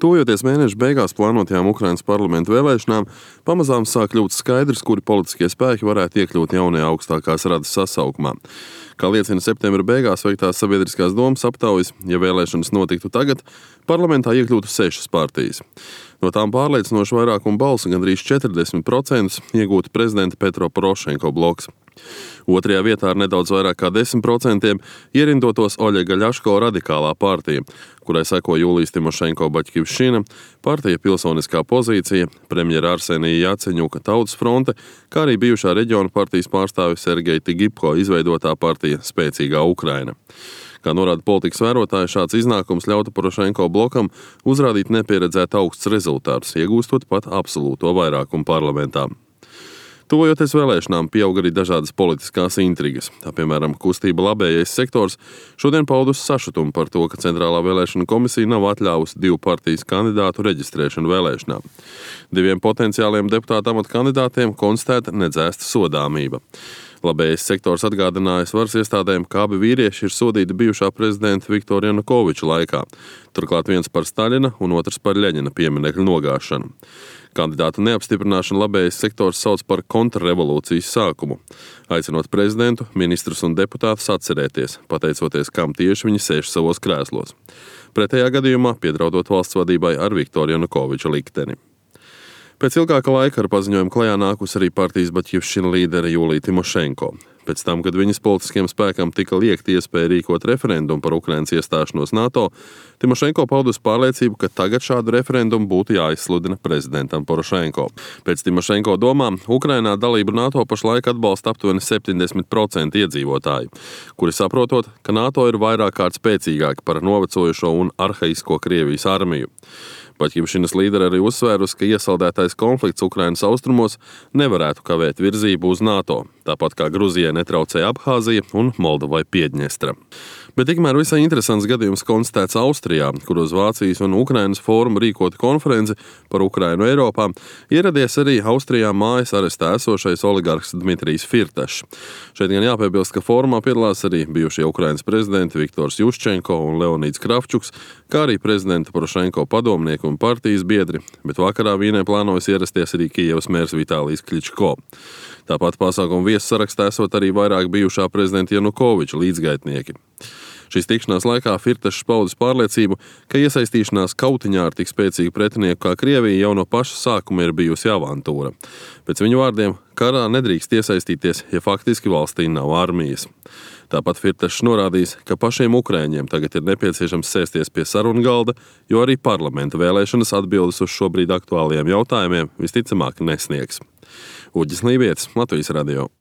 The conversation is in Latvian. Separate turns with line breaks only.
Tuvojoties mēneša beigās plānotajām Ukrainas parlamenta vēlēšanām, pamazām sāk kļūt skaidrs, kuri politiskie spēki varētu iekļūt jaunajā augstākās radas sasaukumā. Kā liecina septembra beigās veiktās sabiedriskās domas aptaujas, ja vēlēšanas notiktu tagad, parlamentā iekļūtu 6 partijas. No tām pārliecinoši vairākumu balsu, gandrīz 40%, iegūtu prezidenta Petro Porošenko bloks. Otrajā vietā ar nedaudz vairāk kā 10% ierindotos Oļega Ļaško radikālā partija, kurai seko Jūlijas Timošenko Baļķivšina, partija Pilsoniskā pozīcija, premjera Arsenija Jaceņuka Tautas fronte, kā arī bijušā reģiona partijas pārstāvis Sergeja Tigipko izveidotā partija Spēcīgā Ukraina. Kā norāda politikas vērotāji, šāds iznākums ļautu Porošenko blokam uzrādīt nepieredzēt augsts rezultātus, iegūstot pat absolūto vairākumu parlamentā. Tuvojoties vēlēšanām, pieaug arī dažādas politiskās intrigas. Tā, piemēram, kustība Labējais sektors šodien paudus sašutumu par to, ka Centrālā vēlēšana komisija nav atļāvusi 2 partijas kandidātu reģistrēšanu vēlēšanām. 2 potenciāliem deputātu amata kandidātiem konstatēta nedzēsta sodāmība. Labējais sektors atgādinājis varas iestādēm, ka abi vīrieši ir sodīti bijušā prezidenta Viktora Janukoviča laikā. Turklāt viens par Staļina un otrs par Ļeņina pieminekļu nogāšanu. Kandidātu neapstiprināšanu Labējais sektors sauc par kontrrevolūcijas sākumu, aicinot prezidentu, ministrus un deputātus atcerēties, pateicoties, kam tieši viņi sēž savos krēslos. Pretējā gadījumā piedraudot valsts vadībai ar Viktora Janukoviča likteni. Pēc ilgāka laika ar paziņojumu klajā nākus arī partijas Baļķivšina līdere Jūlija Timošenko. Pēc tam, kad viņas politiskiem spēkam tika liekta iespēja rīkot referendumu par Ukrainas iestāšanos NATO, Timošenko paudus pārliecību, ka tagad šādu referendumu būtu jāizsludina prezidentam Porošenko. Pēc Timošenko domām, Ukrainā dalību NATO pašlaik atbalsta aptuveni 70% iedzīvotāji, kuri saprotot, ka NATO ir vairāk kārt spēcīgāki par novecojušo un arhaisko Krievijas armiju. Baļķivšinas līdere arī uzsvērusi, ka iesaldētais konflikts Ukrainas austrumos nevarētu kavēt virzību uz NATO, tāpat kā Gruzijai netraucēja Abhāzija un Moldovai Piedņestra. Bet tikmēr visai interesants gadījums konstatēts Austrijā, kur uz Vācijas un Ukrainas fórumu rīkota konferenci par Ukrainu Eiropā, ieradies arī Austrijā mājas arestā esošais oligarhs Dmitrijs Firtašs. Šeit gan jāpiebilst, ka fórumā piedalās arī bijušie Ukrainas prezidenti Viktors Juščenko un Leonīds Kravčuks, kā arī prezidenta Porošenko padomnieki un partijas biedri, bet vakarā Vīnē plānojas ierasties arī Kijevas mērs Vitālijs Kļičko. Tāpat pasākumu viesu sarakstā esot arī vairāk bijušā prezidenta Janukoviča līdzgaitnieki. Šīs tikšanās laikā Firtašs paudis pārliecību, ka iesaistīšanās kautiņā ar tik spēcīgu pretinieku kā Krievija jau no paša sākuma ir bijusi avantūra. Pēc viņu vārdiem, karā nedrīkst iesaistīties, ja faktiski valstī nav armijas. Tāpat Firtašs norādījis, ka pašiem ukraiņiem tagad ir nepieciešams sēsties pie sarunu galda, jo arī parlamenta vēlēšanas atbildes uz šobrīd aktuālajiem jautājumiem visticamāk nesniegs. Uģis Lībietis, Latvijas radio.